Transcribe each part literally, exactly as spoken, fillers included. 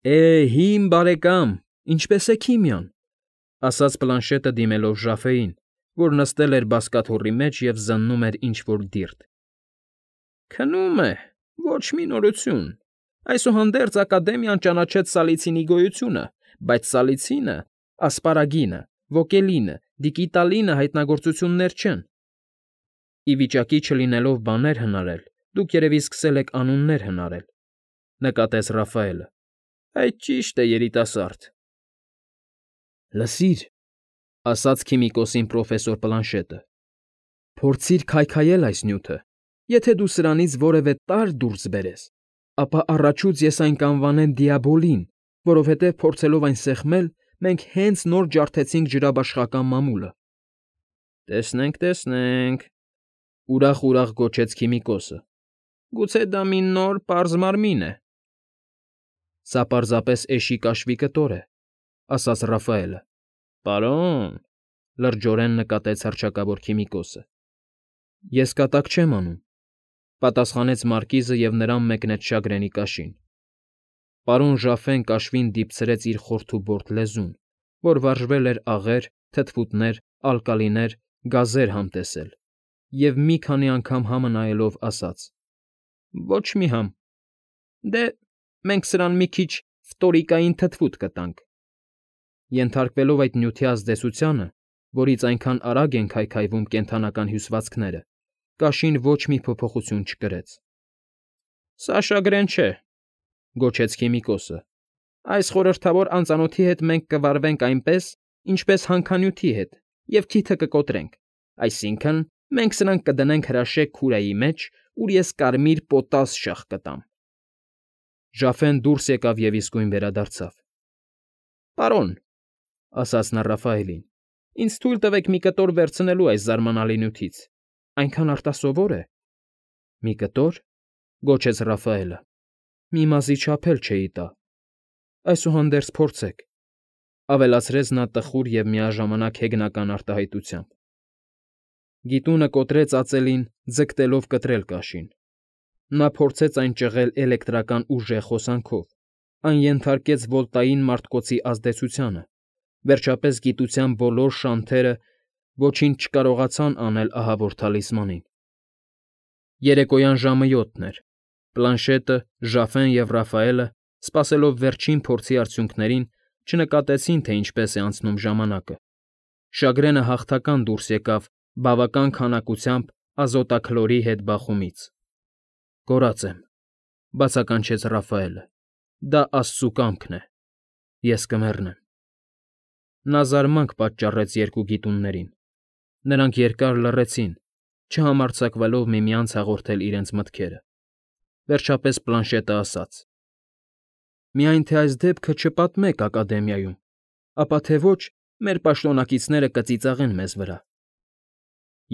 Է, հիմ բարեկամ, ինչպե՞ս է քիմիան,֊ ասաց պլանշետը դիմելով Ժաֆեին, որ նստել էր բազկաթոռի մեջ և զննում էր ինչ֊որ դիրդ։ ֊ Քնում է, ոչ մի նորություն, այսուհանդերձ Ակադեմիան ճանաչեց սալիցինի գոյությունը, բայց սալիցինը, ասպարագինը, ոկելինը, դիկիտալինը հայտնագործություններ չեն։ ֊ Ի վիճակի չլինելով բաներ հնարել, դուք երևի սկսել եք անուններ հնարել,֊ նկատեց Ռաֆայելը։֊ Այդ ճիշտ է, երիտասարդ։ ֊ Լսիր,֊ ասաց քիմիկոսին պրոֆեսոր Պլանշետը,֊ փորձիր քայքայել այս նյութը, եթե դու սրանից որևէ տարր դուրս բերես, ապա առաջուց ես այն կանվանեմ դիաբոլին, որովհետև փորձելով այն սեղմել, մենք հենց նոր ջարդեցինք ջրաբաշխական մամուլը։ ֊ Տեսնենք, տեսնենք,֊ ուրախ֊ուրախ գոչեց քիմիկոսը։֊ Գուցե դա մի նոր, պարզ մարմին է։ ֊ Սա պարզապես էշի կաշվի կտոր է,֊ ասաց Ռաֆայելը։ ֊ Պարոն,֊ լրջորեն նկատեց հռչակավոր քիմիկոսը։ ֊ Ես կատակ չեմ անում,֊ պատասխանեց մարկիզը և նրան մեկնեց շագրենի կաշին։ Պարոն Ժաֆեն կաշվին դիպցրեց իր խորթուբորդ լեզուն, որ վարժվել էր աղեր, թթվուտներ, ալկալիներ, գազեր համտեսել, և մի քանի անգամ համը նայելով ասաց. Ոչ մի համ։ Դե, մենք սրան մի քիչ ֆտորիկային թթվուտ կտանք։ Ենթարկվելով այդ նյութի ազդեցությանը, որից այնքան արագ են քայքայվում կենդանական հյուսվածքները, կաշին ոչ մի փոփոխություն չկրեց։ ֊ Սա շագրեն չէ,֊ գոչեց քիմիկոսը։ Այս խորհրդավոր անծանոթի հետ մենք կվարվենք այնպես, ինչպես հանքանյութի հետ, և քիթը կկոտրենք, այսինքն՝ մենք սրան կդնենք հրաշեկ քուրայի մեջ, ուր ես կարմիր պոտաս շաղ կտամ։ Ժաֆեն դուրս եկավ և իսկույն վերադարձավ։ ֊ Պարոն,֊ ասաց նա Ռաֆայելին,֊ ինձ թույլ տվեք մի կտոր վերցնելու այս զարմանալի նյութից, այնքան արտասովոր է։ ֊ Մի կտո՞ր,֊ գոչեց Ռաֆայելը։֊ Մի մազի չափ էլ չէի տա։ Այսուհանդերձ փորձեք,֊ ավելացրեց նա տխուր և միաժամանակ հեգնական արտահայտությամբ։ Գիտունը կոտրեց ածելին, ձգտելով կտրել կաշին։ Նա փորձեց այն ճղել էլեկտրական ուժեղ հոսանքով, այն ենթարկեց վոլտային մարտկոցի ազդեցությանը, վերջապես գիտության բոլոր շանթերը ոչինչ չկարողացան անել ահավոր թալիսմանին։ Երեկոյան ժամը յոթն էր։ Պլանշետը, Ժաֆեն և Ռաֆայելը, սպասելով վերջին փորձի արդյունքներին, չնկատեցին, թե ինչպես է անցնում ժամանակը։ Շագրենը հաղթական դուրս եկավ բավական քանակությամբ ազոտաքլորի հետ բախումից։ ֊ Կորած եմ,֊ բացականչեց Ռաֆայելը։֊ Դա աստծու կամքն է։ Ես կմեռնեմ։ Նա զարմանք պատճառեց երկու գիտուններին։ Նրանք երկար լռեցին, չհամարձակվելով միմյանց հաղորդել իրենց մտքերը։ Վերջապես Պլանշետը ասաց. Միայն թե այս դեպքը չպատմեք Ակադեմիայում, ապա թե ոչ, մեր պաշտոնակիցները կծիծաղեն մեզ վրա։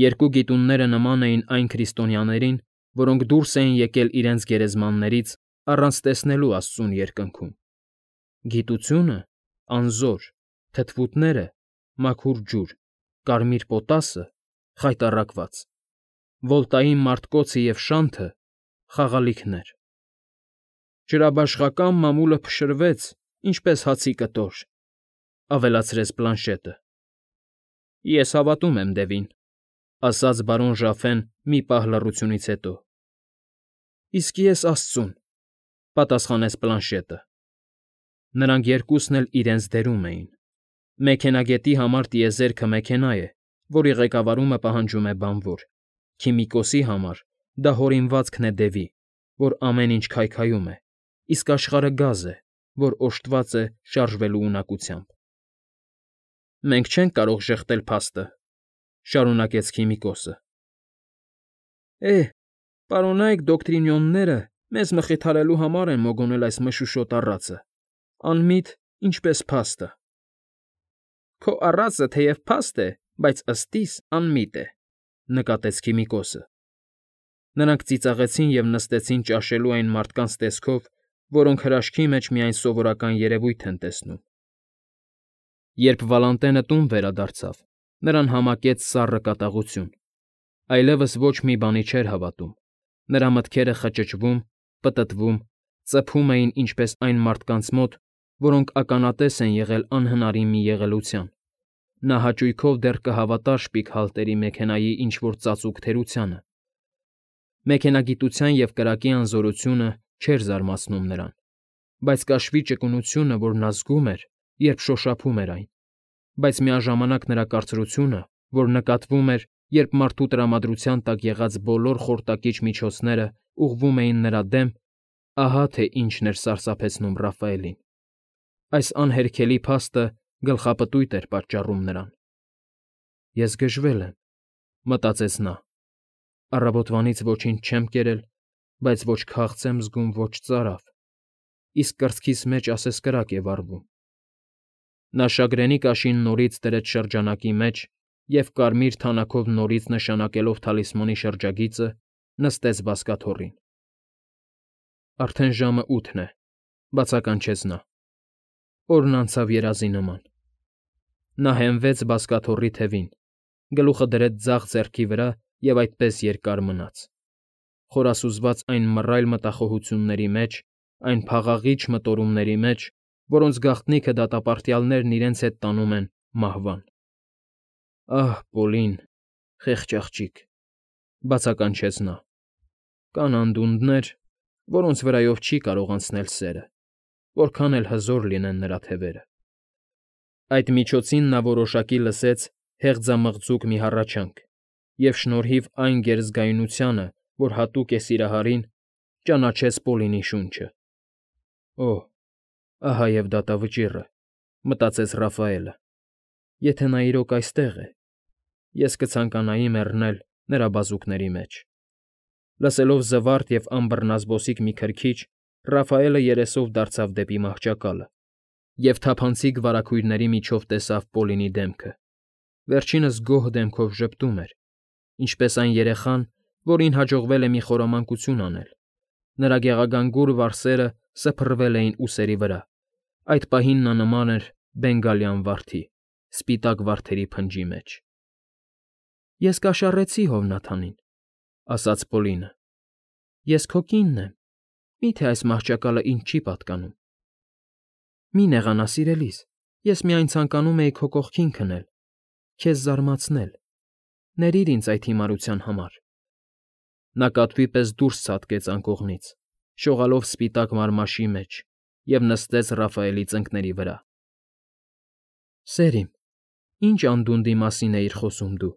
Երկու գիտունները նման էին այն քրիստոնյաներին, որոնք դուրս էին եկել իրենց գերեզմաններից առանց տեսնելու աստծուն երկնքում։ Գիտությունը՝ անզոր, թթվուտները՝ մաքուր ջուր, կարմիր պոտասը՝ խայտառակված, վոլտային մարտկոցը և շանթը՝ խաղալիքներ։ Ջրաբաշխական մամուլը փշրվեց, ինչպես հացի կտոր,֊ ավելացրեց Պլանշետը։ ֊ Ես հավատում եմ Դևին,֊ ասաց բարոն Ժաֆեն մի պահ լռությունից հետո։ ֊ Իսկ ես աստծուն,֊ պատասխանեց Պլանշետը։ Նրանք երկուսն էլ իրենց դերում էին։ Մեքենագետի համար տիեզերքը մեքենա է, որի ղեկավարումը պահանջում է բանվոր, քիմիկոսի համար դա հորինվածքն է դևի, որ ամեն ինչ քայքայում է, իսկ աշխարհը գազ է, որ օժտված է շարժվելու ունակությամբ։ ֊ Մենք չենք կարող ժխտել փաստը,֊ շարունակեց քիմիկոսը։ ֊ Է, պարոնայք դոկտրինյոնները մեզ մխիթարելու համար են մոգոնել այս մշուշոտ առածը, անմիտ, ինչպես փաստը։ ֊ Քո առածը թեև փաստ է, բայց ըստ իս անմիտ է,֊ նկատեց քիմիկոսը։ Նրանք ծիծաղեցին և նստեցին ճաշելու այն մարդկանց տեսքով, որոնք հրաշքի մեջ միայն սովորական երևույթ են տեսնում։ Երբ Վալանտենը տուն վերադարձավ, նրան համակեց սառը կատաղություն։ Այլևս ոչ մի բանի չէր հավատում, նրա մտքերը խճճվում, պտտվում, ծփում էին ինչպես այն մարդկանց մոտ, որոնք ականատես են եղել անհնարին մի եղելության. նա հաճույքով դեռ կհավատար շպիկ հալտերի մեքենայի ինչ֊որ ծածուկ թերությանը. մեքենագիտության և կրակի անզորությունը չէր զարմացնում նրան, բայց կաշվի ճկունությունը, որ նա զգում էր, երբ շոշափում էր այն, բայց միաժամանակ նրա կարծրությունը, որ նկատվում էր, երբ մարդու տրամադրության տակ եղած բոլոր խորտակիչ միջոցները ուղղվում էին նրա դեմ, ահա թե ինչն էր սարսափեցնում Ռաֆայելին. այս անհերքելի փաստը գլխապտույտ էր պատճառում նրան։ «Ես գժվել եմ,֊ մտածեց նա,֊ առավոտվանից ոչինչ չեմ կերել, բայց ոչ քաղց եմ զգում, ոչ ծարավ, իսկ կրծքիս մեջ ասես կրակ է վառվում»։ Նա շագրենի կաշին նորից դրեց շրջանակի մեջ և, կարմիր թանաքով նորից նշանակելով թալիսմանի շրջագիծը, նստեց բազկաթոռին։ «Արդեն ժամը ութն է,֊ բացականչեց նա։ Օրն անցավ երազի նման։ Նա հենվեց բազկաթոռի թևին, գլուխը դրեց ձախ ձեռքի վրա և այդպես երկար մնաց, խորասուզված այն մռայլ մտախոհությունների մեջ, այն փաղաղիչ մտորումների մեջ, որոնց գաղտնիքը դատապարտյալներն իրենց հետ տանում են մահվան։ «Ահ, Պոլին, խեղճ աղջիկ,֊ բացականչեց նա,֊ կան անդունդներ, որոնց վրայով չի կարող անցնել սերը, որքան էլ հզոր լինեն նրա թևերը»։ Այդ միջոցին նա որոշակի լսեց հեղձամղձուկ մի հառաչանք և շնորհիվ այն գերզգայունությանը, որ հատուկ է սիրահարին, ճանաչեց Պոլինի շունչը։ «Օհ, ահա և դատավճիռը,֊ մտածեց Ռաֆայելը,֊ եթե նա իրոք այստեղ է, ես կցանկանայի մեռնել նրա բազուկների մեջ»։ Լսելով զվարթ և անբռնազբոսիկ մի քրքիջ, Ռաֆայելը երեսով դարձավ դեպի մահճակալը և թափանցիկ վարագույրների միջով տեսավ Պոլինի դեմքը։ Վերջինս գոհ դեմքով ժպտում էր, ինչպես այն երեխան, որին հաջողվել է մի խորամանկություն անել. նրա գեղագանգուր վարսերը սփռվել էին ուսերի վրա, այդ պահին նա նման էր բենգալյան վարդի, սպիտակ վարդերի փնջի մեջ։ «Ես կաշառեցի հովնաթանին,֊ ասաց Պոլինը,֊ ես քո կինն եմ, մի՞թե այս մահճակալը ինձ չի պատկանում»։ «Մի նեղանա, սիրելիս, ես միայն ցանկանում էի քո կողքին քնել, քեզ զարմացնել, ներիր ինձ այդ հիմարության համար»։ Նա կատվի պես դուրս ցատկեց անկողնից, շողալով սպիտակ մարմաշի մեջ, և նստեց Ռաֆայելի ծնկների վրա։ «Սեր իմ, ի՞նչ անդունդի մասին էիր խոսում դու,֊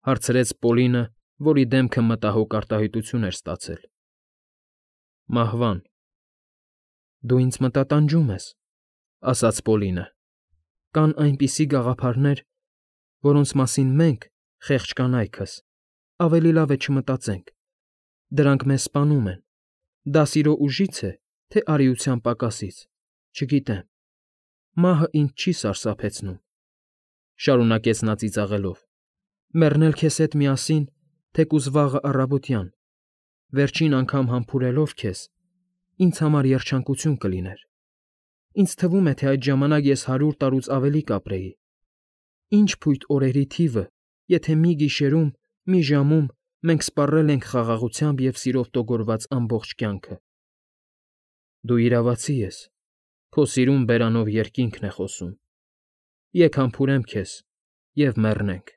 հարցրեց Պոլինը, որի դեմքը մտահոգ արտահայտություն էր ստացել։ «Մահվան»։ «Դու ինձ մտատանջում ես,֊ ասաց Պոլինը,֊ կան այնպիսի գաղափարներ, որոնց մասին մենք, խեղճ կանայքս, ավելի լավ է չմտածենք, դրանք մեզ սպանում են, դա սիրո ուժի՞ց է, թե արիության պակասից, չգիտեմ, մահը ինձ չի սարսափեցնում,֊ շարունակեց նա ծիծաղելով,֊ մեռնել քեզ հետ միասին, թեկուզ վաղը առավոտյան, վերջին անգամ համբուրելով քեզ, ինձ համար երջանկություն կլիներ։ Ինձ թվում է, թե այդ ժամանակ ես հարյուր տարուց ավելի կապրեի։ Ինչ փույթ օրերի թիվը, եթե մի գիշերում, մի ժամում մենք սպառել ենք խաղաղությամբ և սիրով տոգորված ամբողջ կյանքը։ Դու իրավացի ես, քո սիրուն բերանով երկինքն է խոսում։ Եկ համբուրեմ քեզ և մեռնենք,֊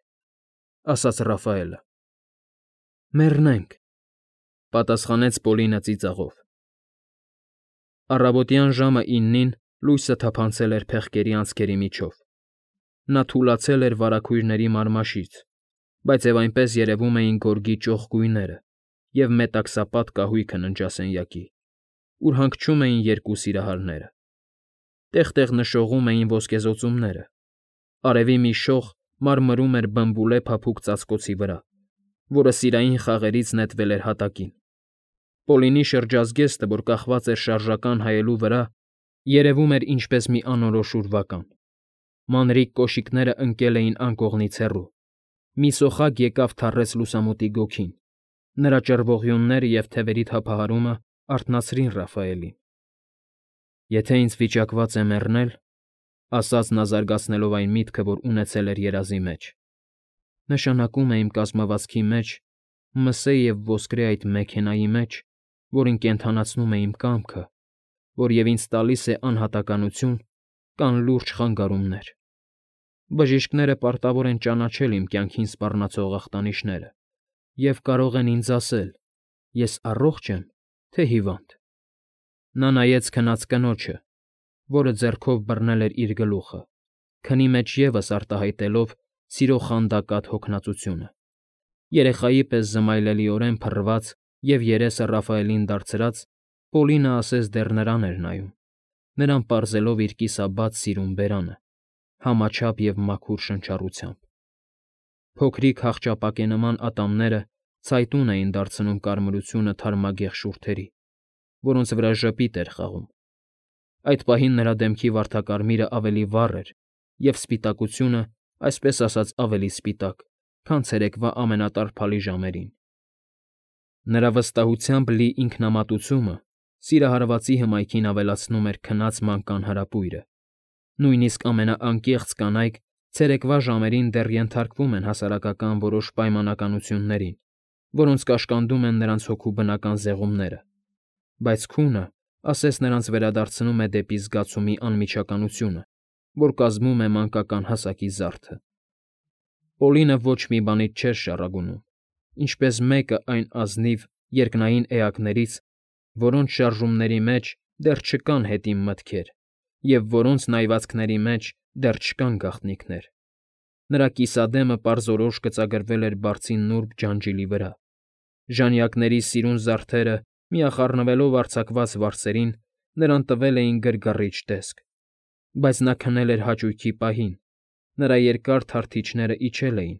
ասաց Ռաֆայելը։ «Մեռնենք,֊ պատասխանեց Պոլինը ծիծաղով։ Առավոտյան ժամը իննին լույսը թափանցել էր փեղկերի անցքերի միջով։ Նա թուլացել էր վարագույրների մարմաշից, բայց և այնպես երևում էին գորգի ճոխ գույները և մետաքսապատ կահույքը ննջասենյակի, ուր հանգչում էին երկու սիրահարները։ Տեղ֊տեղ նշողում էին ոսկեզօծումները, արևի մի շող մարմրում էր բմբուլե փափուկ ծածկոցի վրա, որը սիրային խաղերից նետվել էր հատակին։ Պոլինի շրջազգեստը, որ կախված էր շարժական հայելու վրա, երևում էր ինչպես մի անորոշ ուրվական։ Մանրիկ կոշիկներն ընկել էին անկողնից հեռու, մի սոխակ եկավ թառեց լուսամուտի գոգին, նրա ճռվողյունները և թևերի թափահարումը արթնացրին Ռաֆայելին։ «Եթե ինձ վիճակված է մեռնել,֊ ասաց նա զարգացնելով այն միտքը, որ ունեցել էր երազի մեջ,֊ նշանակում է իմ կազմվածքի մեջ, մսե և ոսկրե այդ մեքենայի մեջ, որին կենդանացնում է իմ կամքը, որ և ինձ տալիս է անհատականություն կամ լուրջ խանգարումներ։ Բժիշկները պարտավոր են ճանաչել իմ կյանքին սպառնացող ախտանիշները և կարող են ինձ ասել՝ ես առողջ եմ, թե հիվանդ։ Նա նայեց քնած կնոջը, որը ձեռքով բռնել էր իր գլուխը, քնի մեջ ևս արտահայտելով սիրո խանդակատ հոգնածությունը։ Երեխայի պես զմայլելիորեն փռված և երեսը Ռաֆայելին դարձրած՝ Պոլինը ասես դեռ նրան էր նայում, նրան պարզելով իր կիսաբաց սիրուն բերանը, համաչափ և մաքուր շնչառությամբ։ Փոքրիկ հախճապակենման ատամները ցայտուն էին դարձնում կարմրությունը թարմագեղ շուրթերի, որոնց վրա ժպիտ էր խաղում։ Այդ պահին նրա դեմքի վարդակարմիրը ավելի վառ էր, և սպիտակությունը, այսպես ասած, ավելի սպիտակ, քան ցերեկվա ամենատարփալի ժամերին։ Նրա վստահությամբ լի ինքնամատությունը սիրահարվածի հմայքին ավելացնում էր քնած մանկան հրապույրը։ Նույնիսկ ամենաանկեղծ կանայք ցերեկվա ժամերին դեռ ենթարկվում են հասարակական որոշ պայմանականություններին, որոնց կաշկանդում են նրանց հոգու բնական զեղումները, բայց քունը ասես նրանց վերադարձնում է դեպի զգացումի անմիջականությունը, որ կազմում է մանկական հասակի զարդը։ Պոլինը ոչ մի բանից չէր շառագունում, ինչպես մեկը այն ազնիվ երկնային էակներից, որոնց շարժումների մեջ դեռ չկան հետին մտքեր և որոնց նայվածքների մեջ դեռ չկան գաղտնիքներ։ Նրա կիսադեմը պարզորոշ գծագրվել էր բարձի նուրբ ջանջիլի վրա։ Ժանյակների սիրուն զարդերը, միախառնվելով արձակված վարսերին, նրան տվել էին գրգռիչ տեսք, բայց նա քնել էր հաճույքի պահին, նրա երկար թարթիչները իջել էին,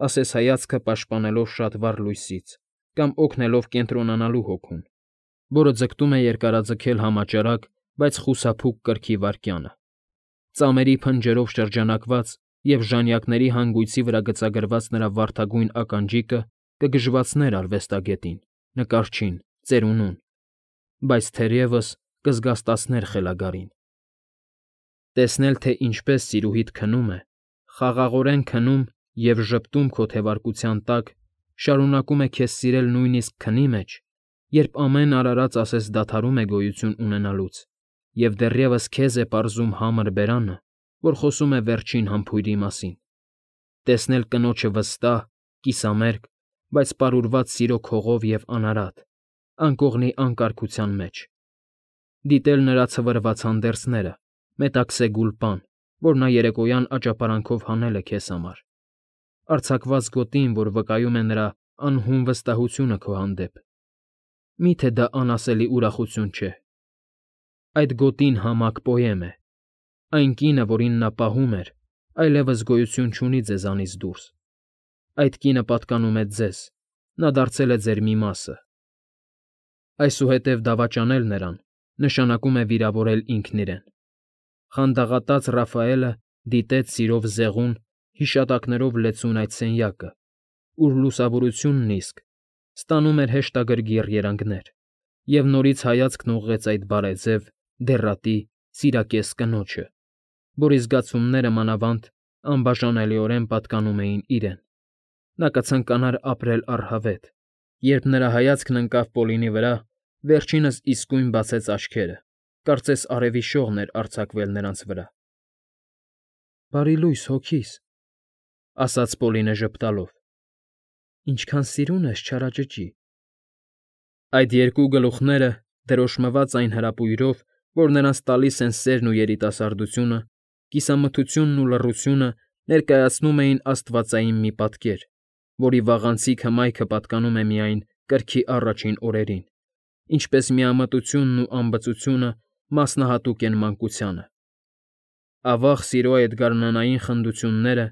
ասես հայացքը պաշտպանելով շատ վառ լույսից կամ օգնելով կենտրոնանալու հոգուն, որը ձգտում է երկարաձգել համաճարակ, բայց խուսափուկ կրքի վայրկյանը։ Ծամերի փնջերով շրջանակված և ժանյակների հանգույցի վրա գծագրված նրա վարդագույն ականջիկը կգժվացներ արվեստագետին, նկարչին, ծերունուն, բայց թերևս կզգաստացներ խելագարին։ Տեսնել, թե ինչպես սիրուհիդ քնում է, խաղաղորեն քնում և ժպտում քո թևարկության տակ, շարունակում է քեզ սիրել նույնիսկ քնի մեջ, երբ ամեն արարած ասես դադարում է գոյություն ունենալուց, և դեռևս քեզ է պարզում համր բերանը, որ խոսում է վերջին համբույրի մասին։ Տեսնել կնոջը վստահ, կիսամերկ, բայց պարուրված սիրո քողով և անարատ, անկողնի անկարգության մեջ։ Դիտել նրա ցվրված հանդերձները, մետաքսե գուլպան, որ նա երեկոյան աճապարանքով հանել է քեզ համար, արձակված գոտին, որ վկայում է նրա անհուն վստահությունը քո հանդեպ։ Մի՞թե դա անասելի ուրախություն չէ։ Այդ գոտին համակ պոեմ է։ Այն կինը, որին նա պահում էր, այլևս գոյություն չունի ձեզանից դուրս։ Այդ կինը պատկանում է ձեզ, նա դարձել է ձեր մի մասը։ Այսուհետև դավաճանել նրան նշանակում է վիրավորել ինքն իրեն։ Խանդաղատած Ռաֆայելը դիտեց սիրով զեղուն, հիշատակներով լեցուն այդ սենյակը, ուր լուսավորությունն իսկ ստանում էր հեշտագրգիռ երանգներ, և նորից հայացքն ուղղեց այդ բարեձև, դեռատի, սիրակես կնոջը, որի զգացումները, մանավանդ, անբաժանելիորեն պատկանում էին իրեն։ Նա կցանկանար ապրել առհավետ։ Երբ նրա հայացքն ընկավ Պոլինի վրա, վերջինս իսկույն բացեց աչքերը, կարծես արևի շողն էր արձակվել նրանց վրա։ «Բարի լույս, հոգիս», ֊ ասաց Պոլինը ժպտալով, ֊ ինչքան սիրուն ես, չարաճճի։ Այդ երկու գլուխները, դրոշմված այն հրապույրով, որ նրանց տալիս են սերն ու երիտասարդությունը, կիսամթությունն ու լռությունը ներկայացնում էին աստվածային մի պատկեր, որի վաղանցիկ հմայքը պատկանում է միայն կրքի առաջին օրերին, ինչպես միամտությունն ու անբծությունը մասնահատուկ են մանկությանը։ Ավաղ սիրո այդ գարնանային խնդությունները,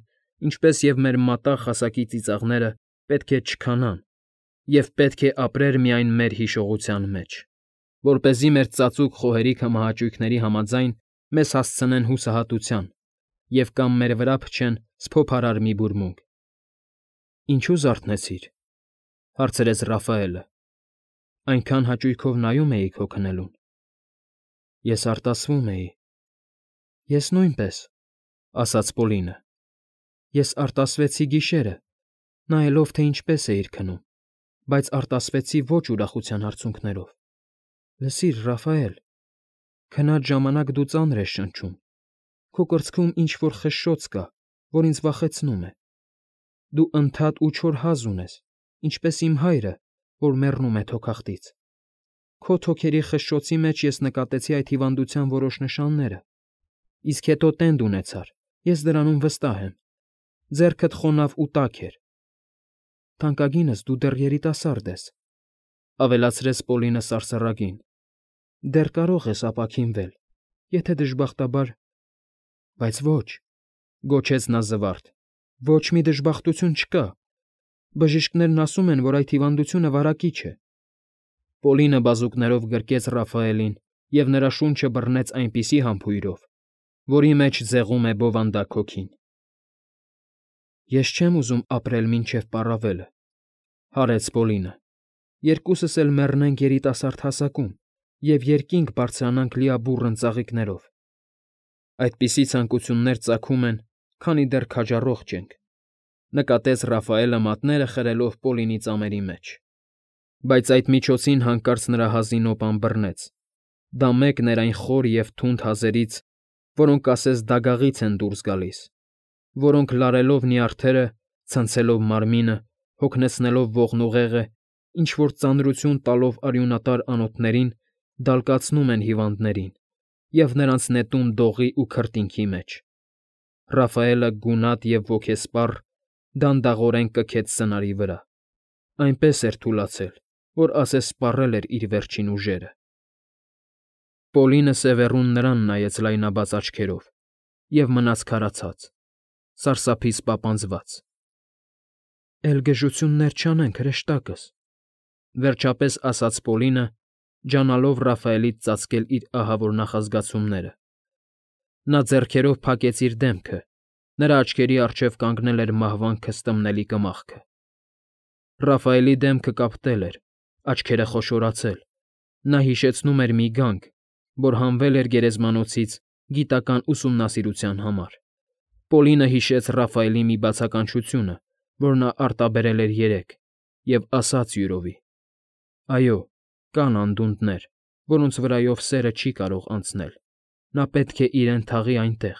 ինչպես և մեր մատաղ հասակի ծիծաղները, պետք է չքանան, և պետք է ապրեր միայն մեր հիշողության մեջ, որպեսզի մեր ծածուկ խոհերի քմահաճույքների համաձայն մեզ հասցնեն հուսահատության և կամ մեր վրա փչեն սփոփարար մի բուրմունք։ ֊ Ինչո՞ւ զարթնեցիր,֊ հարցրեց Ռաֆայելը։ Այնքան հաճույքով նայում էի քո քնելուն։ ֊ Ես արտասվում էի։ ֊ Ես նույնպես,֊ ասաց Պոլինը։ ֊ Ես արտասվեցի գիշերը, նայելով, թե ինչպես էիր քնում։ բայց արտասվեցի ոչ ուրախության արցունքներով։ Լսիր, Ռաֆայել, քնած ժամանակ դու ծանր ես շնչում, քո կրծքում ինչ֊որ խշշոց կա, որ ինձ վախեցնում է։ Դու ընդհատ ու չոր հազ ունես, ինչպես իմ հայրը, որ մեռնում է թոքախտից։ Քո թոքերի խշշոցի մեջ ես նկատեցի այդ հիվանդության որոշ նշանները, իսկ հետո տենդ ունեցար, ես դրանում վստահ եմ։ Ձեռքդ խոնավ ու տաք էր։ Թանկագինս դու դեռ երիտասարդ ես,֊ ավելացրեց Պոլինը սարսռագին,֊ դեռ կարող ես ապաքինվել, եթե դժբախտաբար… Բայց ոչ,֊ գոչեց նա զվարթ,֊ ոչ մի դժբախտություն չկա։ Բժիշկներն ասում են, որ այդ հիվանդությունը վարակիչ է։ Պոլինը բազուկներով գրկեց Ռաֆայելին և նրա շունչը բռնեց այնպիսի համբույրով, որի մեջ ձեղում է բովանդակ հոգին։ Ես չեմ ուզում ապրել մինչև պառավելը,֊ հարեց Պոլինը,֊ երկուսս էլ մեռնենք երիտասարդ հասակում և երկինք բարձրանանք լիաբուռն ծաղիկներով։ Այդպիսի ցանկություններ ծագում են, քանի դեռ քաջառողջ ենք,֊ նկատեց Ռաֆայելը մատները խրելով Պոլինի ծամերի մեջ։ Բայց այդ միջոցին հանկարծ նրա հազի նոպան բռնեց, դա մեկն էր այն խոր և թունդ հազերից, որոնք ասես դագաղից են դուրս գալիս, որոնք լարելով նյարդերը, ցնցելով մարմինը, հոգնեցնելով ողնուղեղը, ինչ֊որ ծանրություն տալով արյունատար անոթներին, դալկացնում են հիվանդներին և նրանց նետում դողի ու քրտինքի մեջ։ Ռաֆայելը գունատ և ոգեսպառ դանդաղորեն կքեց սնարի վրա, այնպես էր թուլացել, որ ասես սպառել էր իր վերջին ուժերը։ Պոլինը սևեռուն նրան նայեց լայնաբաց աչքերով և մնաց քարացած, սարսափից պապանձված։ ֊ Էլի գժություններ չանենք, հրեշտակս,֊ վերջապես ասաց Պոլինը, ջանալով Ռաֆայելից ծածկել իր ահավոր նախազգացումները։ Նա ձեռքերով փակեց իր դեմքը, նրա աչքերի առջև կանգնել էր մահվան քստմնելի կմախքը։ Ռաֆայելի դեմքը կապտել էր, աչքերը խոշորացել, նա հիշեցնում էր մի գանք, որ հանվել էր գերեզմանոցից գիտական ուսումնասիրության համար։ Պոլինը հիշեց Ռաֆայելի մի բացականչությունը, որ նա արտաբերել էր երեկ, և ասաց յուրովի. «Այո, կան անդունդներ, որոնց վրայով սերը չի կարող անցնել, նա պետք է իրեն թաղի այնտեղ»։